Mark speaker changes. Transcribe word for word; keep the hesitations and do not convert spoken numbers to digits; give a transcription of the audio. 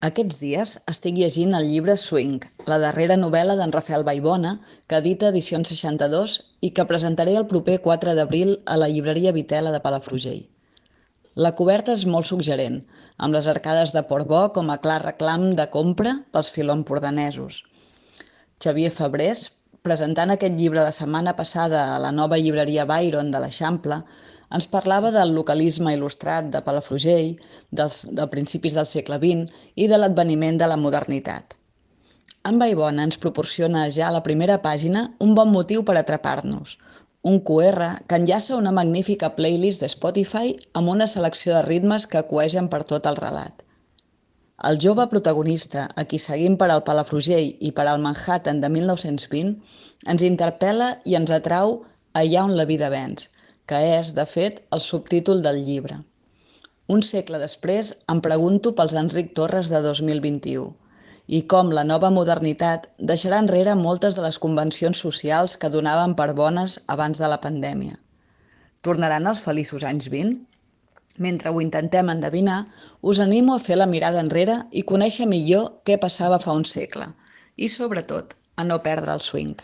Speaker 1: Aquests dies estic llegint el llibre Swing, la darrera novel·la d'en Rafael Vallbona, que edita Edicions seixanta-dos i que presentaré el proper quatre d'abril a la llibreria Vitela de Palafrugell. La coberta és molt suggerent, amb les arcades de Portbó com a clar reclam de compra pels filoempordanesos. Xavier Fabrés, presentant aquest llibre la setmana passada a la nova llibreria Byron de l'Eixample, ens parlava del localisme il·lustrat de Palafrugell, dels, de principis del segle vint i de l'adveniment de la modernitat. En Vallbona ens proporciona ja a la primera pàgina un bon motiu per atrapar-nos, un cu erre que enllaça una magnífica playlist de Spotify amb una selecció de ritmes que coegen per tot el relat. El jove protagonista, a qui seguim per al Palafrugell i per al Manhattan de mil nou-cents vint, ens interpel·la i ens atrau allà on la vida venç, que és, de fet, el subtítol del llibre. Un segle després em pregunto pels Enric Torres de dos mil vint-i-u i com la nova modernitat deixarà enrere moltes de les convencions socials que donaven per bones abans de la pandèmia. Tornaran els feliços anys vint? Mentre ho intentem endevinar, us animo a fer la mirada enrere i conèixer millor què passava fa un segle i, sobretot, a no perdre el swing.